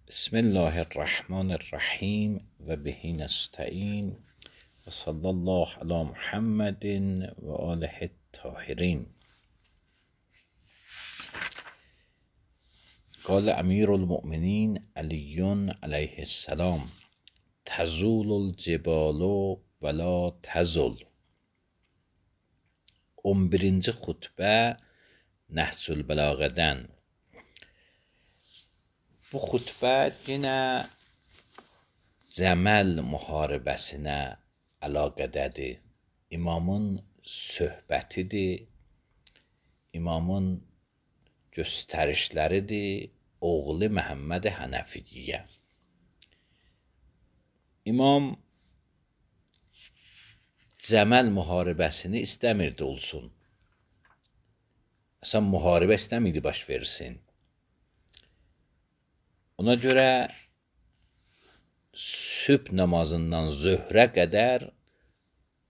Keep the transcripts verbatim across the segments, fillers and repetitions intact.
بسم الله الرحمن الرحیم و به نستعین و صلی الله علی محمد و آله الطاهرین. قال امیر المؤمنین علی علیه السلام: تزول الجبال ولا تزل. on birinci xutbə Nəhcül Bəlağədən. Bu xutbə yenə Cəməl müharibəsinə əlaqədədir. İmamın söhbətidir, İmamın göstərişləridir oğlu Məhəmməd Hənəfiyyə. İmam Cəməl müharibəsini istəmirdi olsun. Əsən müharibə istəmirdi baş versin. Ona görə sübh namazından zöhrə qədər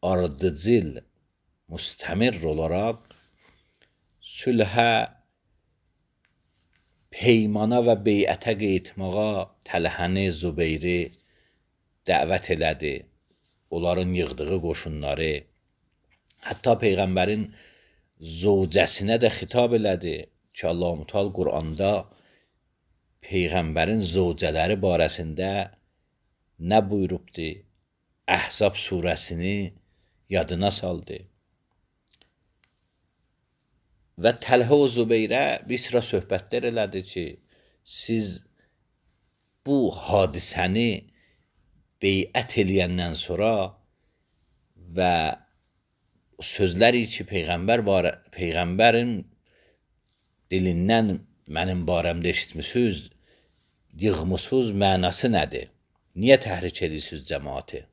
ardıcıl, müstəmir olaraq sülhə, peymana və beyətə qeytmağa Təlhəni, Zübeyri dəvət elədi. Onların yığdığı qoşunları, hətta Peyğəmbərin zövcəsinə də xitab elədi ki, Allah-u Müteal Quranda Peyğəmbərin zövcələri barəsində nə buyurubdu? Əhzab surəsini yadına saldı. Və Təlhə və Zübeyrə bir sıra söhbətlər elədi ki, siz bu hadisəni beyət eləyəndən sonra və sözləri ki, Peyğəmbər barə, Peyğəmbərin dilindən mənim barəmdə eşitmisiniz, yığmısınız, mənası nədir? Niyə təhrik edirsiniz cəmaatı?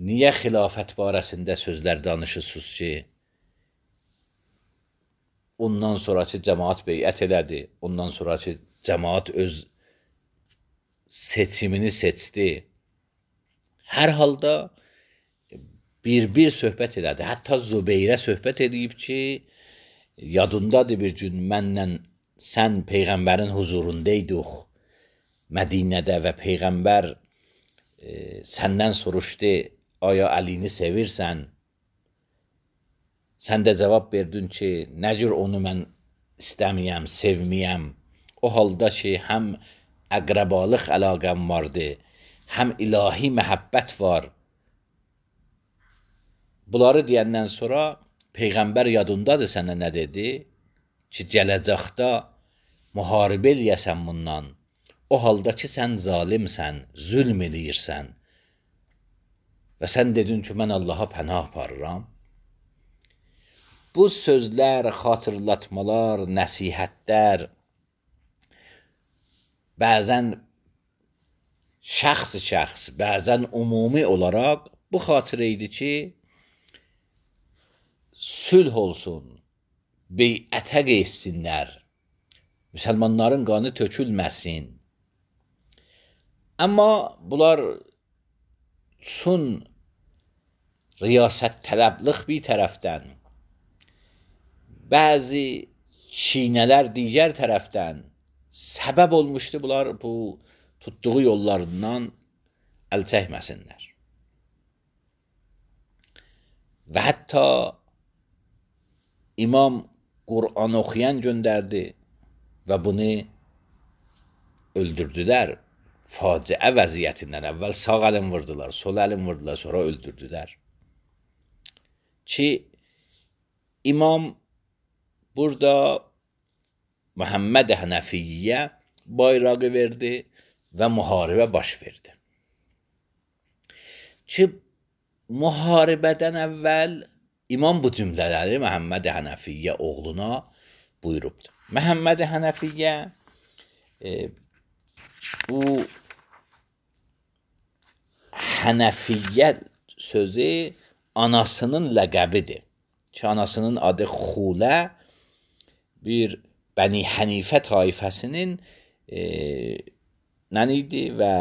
Niyə xilafət barəsində sözlər danışırsınız ki, ondan sonraki cəmaat beyət elədi, ondan sonraki cəmaat öz seçimini seçdi. Hər halda bir-bir söhbət elədi. Hətta Zübeyrə söhbət edib ki, yadındadır bir gün mənlə sən Peyğəmbərin huzurundaydık Mədinədə və Peyğəmbər e, səndən soruşdu, aya Əlini sevirsən? Sən də cavab verdin ki, nə cür onu mən istəməyəm, sevməyəm. O halda ki, həm əqrəbalıq əlaqəm vardı, həm ilahi məhəbbət var. Bunları deyəndən sonra Peyğəmbər yadındadır sənə nə dedi? Ki, gələcəkdə müharibə eləyəsən bundan. O halda ki, sən zalimsən, zülm eləyirsən. Və sən dedin ki, mən Allaha pənah aparıram. Bu sözlər, xatırlatmalar, nəsihətlər bəzən şəxs-şəxs, bəzən ümumi olaraq bu xatirə idi ki, sülh olsun, beyətə geçsinlər, müsəlmanların qanı tökülməsin. Amma bunlar üçün riyasət tələblıq bir tərəfdən, bəzi çiynələr digər tərəfdən səbəb olmuşdu bunlar bu tutduğu yollarından əl çəkməsinlər. Və hətta İmam Qur'an oxuyan göndərdi və bunu öldürdülər. Faciə vəziyyətindən əvvəl sağ əlin vurdular, sol əlin vurdular, sonra öldürdülər. Ki, İmam burada Məhəmməd Hənəfiyyə bayrağı verdi və müharibə baş verdi. Ki, müharibədən əvvəl İmam bu cümlələri Məhəmməd Hənəfiyyə oğluna buyurubdur. Məhəmməd Hənəfiyyə e, bu Hənəfiyyə sözü anasının ləqəbidir. Ki, anasının adı Xulə, bir Bəni Hənifə taifəsinin e, nən idi və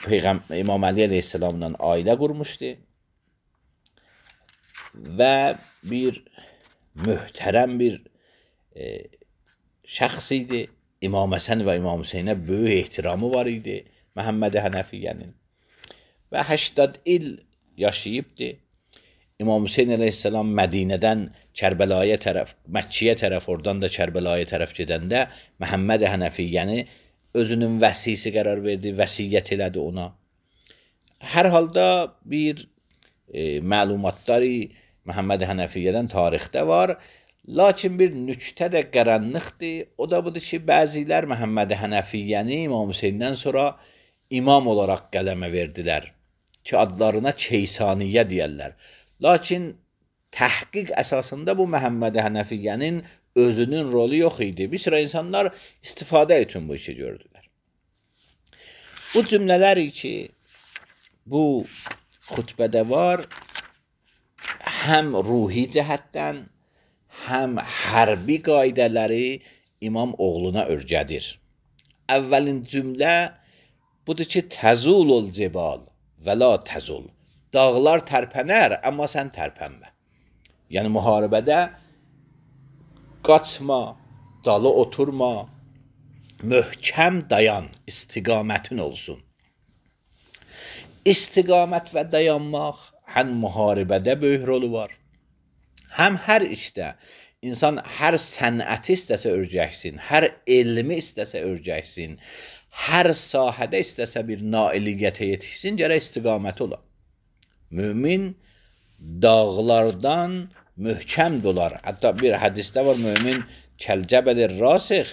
Peyğəmbər İmam Əli əleyhissalamla ailə qurmuşdu və bir möhtərəm bir e, şəxs idi. İmam Həsən və İmam Hüseynə böyük ehtiramı var idi Məhəmməd Hənəfiyyənin. Və səksən il yaşayıbdı. İmam Hüseyn əleyhissalam Mədinədən Kərbəlaya tərəf, Məkkəyə tərəf, oradan da Kərbəlaya tərəf gedəndə Məhəmməd Hənəfiyyəni özünün vəsisi qərar verdi, vəsiyyət elədi ona. Hər halda bir e, məlumatları Məhəmməd Hənəfiyyədən tarixdə var. Lakin bir nüktə də qaranlıqdır. O da budur ki, bəzilər Məhəmməd Hənəfiyyəni İmam Hüseyndən sonra imam olaraq qələmə verdilər ki, adlarına Keysaniyyə deyərlər. Lakin təhqiq əsasında bu Məhəmməd Hənəfiyyənin özünün rolu yox idi. Bir sıra insanlar istifadə üçün bu işi gördülər. Bu cümlələr ki, bu xutbədə var, həm ruhi cəhətdən, həm hərbi qaydələri imam oğluna örgədir. Əvvəlin cümlə budur ki, təzulul cibal və la təzul. Dağlar tərpənər, amma sən tərpənmə. Yəni, müharibədə qaçma, dalı oturma, möhkəm dayan, istiqamətin olsun. İstiqamət və dayanmaq həm müharibədə böyük rolu var, həm hər işdə. İnsan hər sənəti istəsə örgəksin, hər elmi istəsə örgəksin, hər sahədə istəsə bir nailiyyətə yetişsin, gərək istiqaməti ola. Mümin dağlardan möhkəm dolar. Hətta bir hədisdə var, mümin kəlcəbəlir rasix.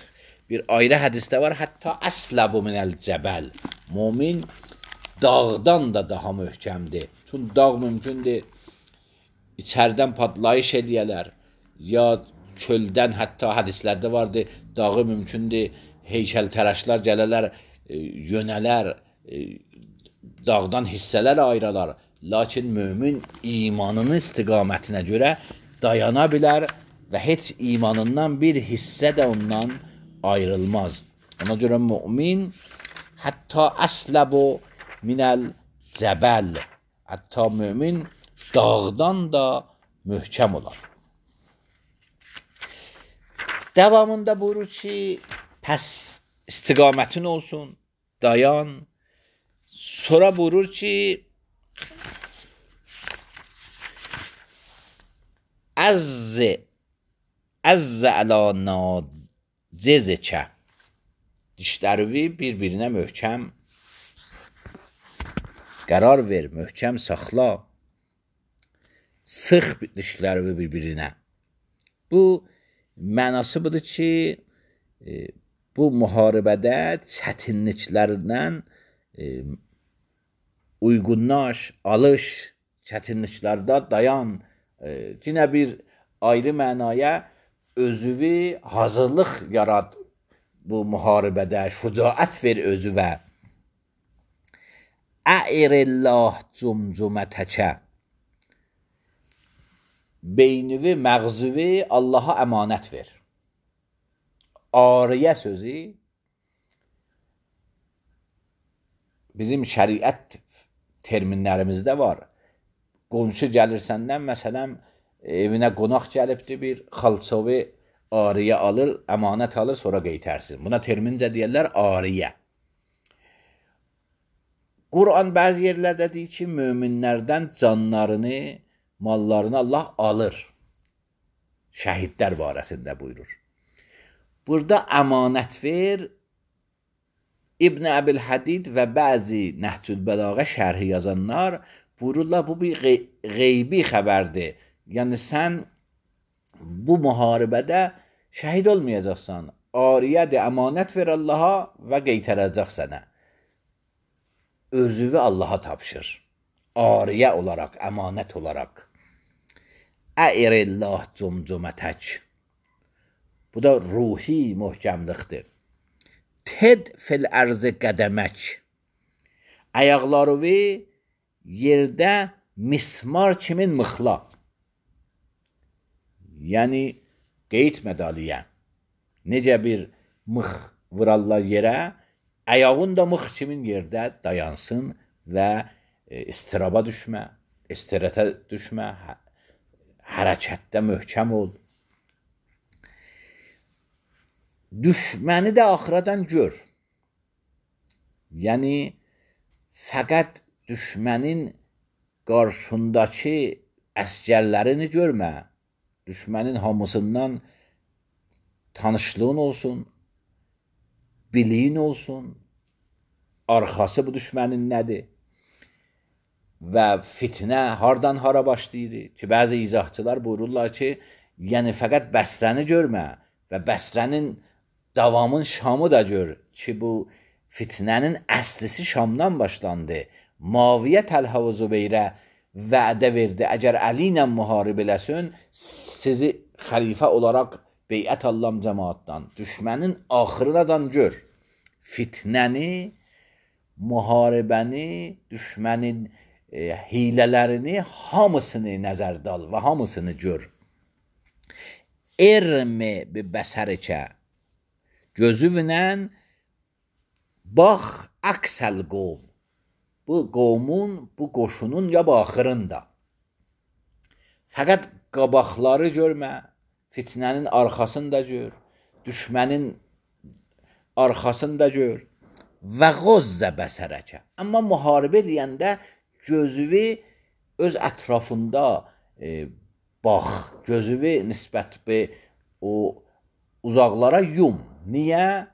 Bir ayrı hədisdə var, hətta əsləbu minəl cəbəl. Mümin dağdan da daha möhkəmdir. Çünki dağ mümkündür içərdən patlayış edəyələr, ya çöldən, hətta hədislərdə vardı, dağı mümkündür heykəltərəşlər gələlər, yönələr, dağdan hissələr ayıralar. Lakin mömin imanının istiqamətinə görə dayana bilər və heç imanından bir hissə də ondan ayrılmaz. Ona görə mümin hətta əsləbu minəl cəbəl, hətta mömin dağdan da möhkəm olar. Davamında buyurur ki, pəs istiqamətin olsun, dayan. Sonra buyurur ki, əzzi, əzzi əla nacizikə. Dişlərini bir-birinə möhkəm qərar ver, möhkəm saxla. Sıx dişlərini bir-birinə. Bu mənası budur ki, bu müharibədə çətinliklərdən uyğunlaş, alış, çətinliklərdə dayan. Yenə bir ayrı mənaya özüvi hazırlıq yarad bu müharibədə, şücaət ver özüvə. Ə'irillah cumcumətəkə. Beynini, məğzüvi Allaha əmanət ver. Ariyə sözü bizim şəriət terminlərimizdə var. Qonşu gəlir səndən, məsələn, evinə qonaq gəlibdir, bir xalçovi ariyə alır, əmanət alır, sonra qeytərsin. Buna termincə deyərlər ariyə. Quran bəzi yerlərdə deyir ki, möminlərdən canlarını, mallarını Allah alır. Şəhidlər barəsində buyurur. Burada əmanət ver, İbn Əbil Hədid və bəzi Nəhcül Bəlağə şərhi yazanlar buyururlar, bu bir qeybi xəbərdir. Yəni, sən bu müharibədə şəhid olmayacaqsan. Ariyədir, əmanət ver Allaha və qeytərəcək sənə. Özüvü Allaha tapşır. Ariyə olaraq, əmanət olaraq. Ə'irillah cumcumətək. Bu da ruhi möhkəmlikdir. Ted fil ərzı qədəmək. Ayaqlarını yerdə mismar kimin mıxla. Yəni, qeyd medaliyə. Necə bir mıx vurarlar yerə, ayağın da mıx kimin yerdə dayansın və istiraba düşmə, istirətə düşmə, hərəkətdə möhkəm ol. düşməni də axıracan gör. Yəni fəqət düşmənin qarşındakı əsgərlərini görmə. Düşmənin hamısından tanışlığın olsun, biliyin olsun, arxası bu düşmənin nədir? Və fitnə hardan hara başlayır ki, bəzi izahçılar buyururlar ki, yəni fəqət Bəsrəni görmə və Bəsrənin davamın Şamı da gör ki, bu fitnənin əslisi Şamdan başlandı. Muaviyə Təlhə və Zübeyrə vədə verdi, əgər Əli ilə müharib eləsin, sizi xəlifə olaraq beyət allam cəmaatdan. Düşmənin axırınadan gör. Fitnəni, müharibəni, düşmənin e, hilələrini, hamısını nəzərdə al və hamısını gör. Ermi bi bəsərikə, gözüvlə bax əksəl qovm. Bu qovmun, bu qoşunun ya baxırında. Fəqət qabaqları görmə, fitnənin arxasını da gör, düşmənin arxasını da gör və qozzə bəsərəkə. Amma müharibə deyəndə gözüvi öz ətrafında e, bax, gözüvi nisbət be o uzaqlara yum. Niyə?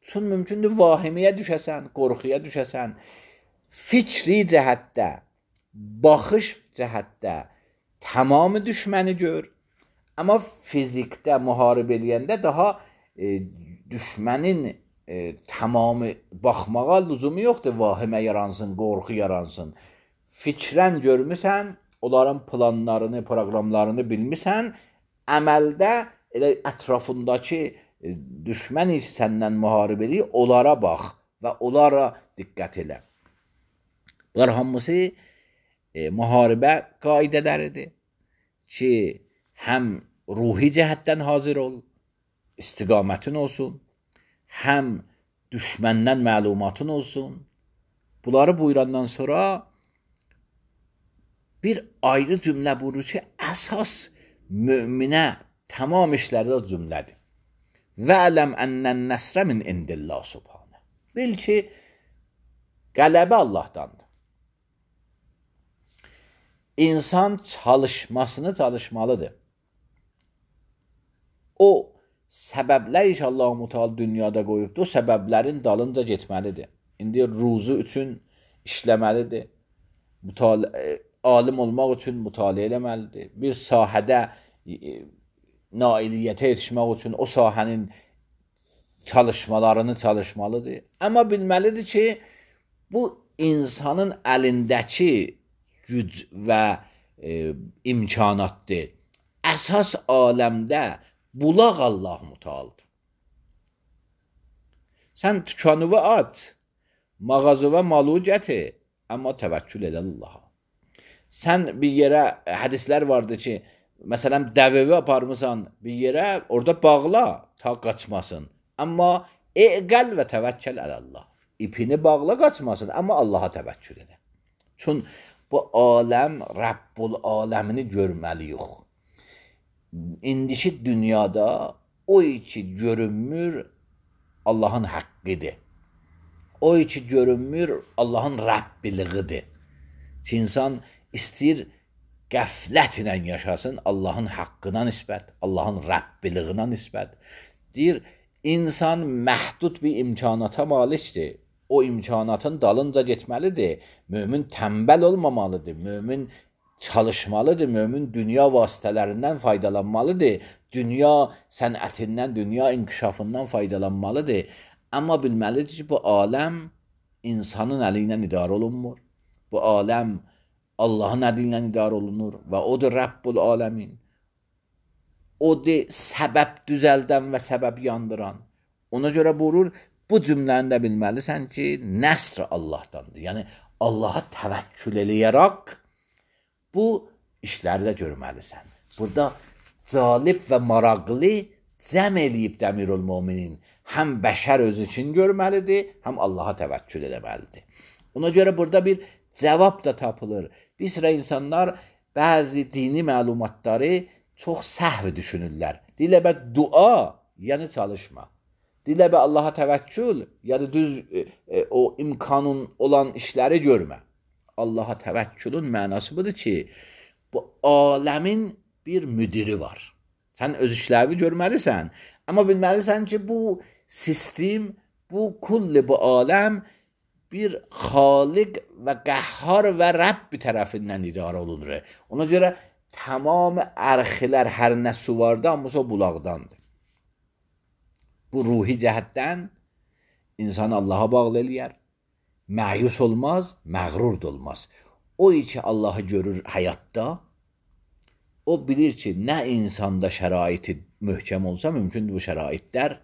Çünki mümkündür vahiməyə düşəsən, qorxuya düşəsən. Fikri cəhətdə, baxış cəhətdə tamamı düşməni gör. Amma fizikdə müharibə eləyəndə daha e, düşmənin e, tamamı baxmağa lüzumu yoxdur. Vahimə yaransın, qorxu yaransın. Fikrən görmüsən, onların planlarını, proqramlarını bilmirsən, əməldə elə ətrafındakı e, düşmən heç səndən müharibə eləyir, onlara bax və onlara diqqət elə. Bunlar hamısı e, müharibə qaidələridir ki, həm ruhi cəhətdən hazır ol, istiqamətin olsun, həm düşməndən məlumatın olsun. Bunları buyurandan sonra bir ayrı cümlə buyurur ki, əsas möminə tamam işlərdə cümlədir. Vələm ənnən nəsrə min indillah subhanə. Bil ki, qələbə Allahdandır. İnsan çalışmasını çalışmalıdır. O səbəblər inşallah mütəal dünyada qoyubdur, o səbəblərin dalınca getməlidir. İndi ruzu üçün işləməlidir. Mütali alim olmaq üçün mütaliə eləməlidir. Bir sahədə e, nailiyyətə yetişmək üçün o sahənin çalışmalarını çalışmalıdır. Amma bilməlidir ki, bu insanın əlindəki güc və e, imkanatdır. Əsas aləmdə bulaq Allah mütəaldır. Sən tükanıvı aç, mağazıva malı gətir, amma təvəkkül edə Allaha. Sən bir yerə, hədislər vardır ki, məsələn, dəvəvi aparmısan bir yerə, orada bağla, ta qaçmasın. Amma eqəl və təvəkkül ələ Allah. İpini bağla qaçmasın, amma Allaha təvəkkül edə. Çünki bu aləm, Rəbbul aləmini görməliyik. İndiki dünyada o ki görünmür Allahın haqqıdır. O ki görünmür Allahın Rəbbiliğidir. Ki insan istəyir qəflətlə yaşasın Allahın haqqına nisbət, Allahın Rəbbiliğine nisbət. Deyir, insan məhdud bir imkanata malikdir. O imkanatın dalınca getməlidir. Mömin tənbəl olmamalıdır. Mömin çalışmalıdır. Mömin dünya vasitələrindən faydalanmalıdır. Dünya sənətindən, dünya inkişafından faydalanmalıdır. Amma bilməlidir ki, bu aləm insanın əli ilə idarə olunmur. Bu aləm Allahın əli ilə idarə olunur və odur Rəbbul aləmin. Odur səbəb düzəldən və səbəb yandıran. Ona görə buyurur, bu cümləni də bilməlisən ki, nəsr Allahdandır. Yəni, Allaha təvəkkül eləyərək bu işləri də görməlisən. Burada calib və maraqlı cəm eləyib Dəmirul Müminin həm bəşər özü üçün görməlidir, həm Allaha təvəkkül eləməlidir. Ona görə burada bir cavab da tapılır. Bir sıra insanlar bəzi dini məlumatları çox səhv düşünürlər. Deyirlər, dua, yəni çalışma. Dilə bir Allaha təvəkkül, ya da düz e, e, o imkanın olan işləri görmə. Allaha təvəkkülün mənası budur ki, bu aləmin bir müdiri var. Sən öz işlərini görməlisən, amma bilməlisən ki, bu sistem, bu kulli bu aləm bir xaliq və qəhhar və Rəbb tərəfindən idarə olunur. Ona görə tamam ərxilər hər nə su vardı, amma o bulaqdandır. Bu ruhi cəhətdən insanı Allaha bağlı eləyər. Məyus olmaz, məğrur da olmaz. O ki Allahı görür həyatda, o bilir ki, nə insanda şəraiti möhkəm olsa, mümkündür bu şəraitlər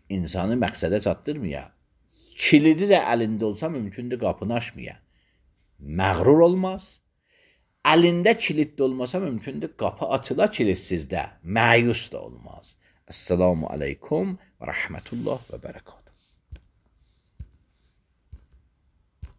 insanı məqsədə çatdırmaya. Kilidi də əlində olsa, mümkündür qapını açmaya. Məğrur olmaz. Əlində kilid də olmasa, mümkündür qapı açıla kilidsizdə. Məyus da olmaz. Esselamu aleykum və rəhmətullah və bərəkət.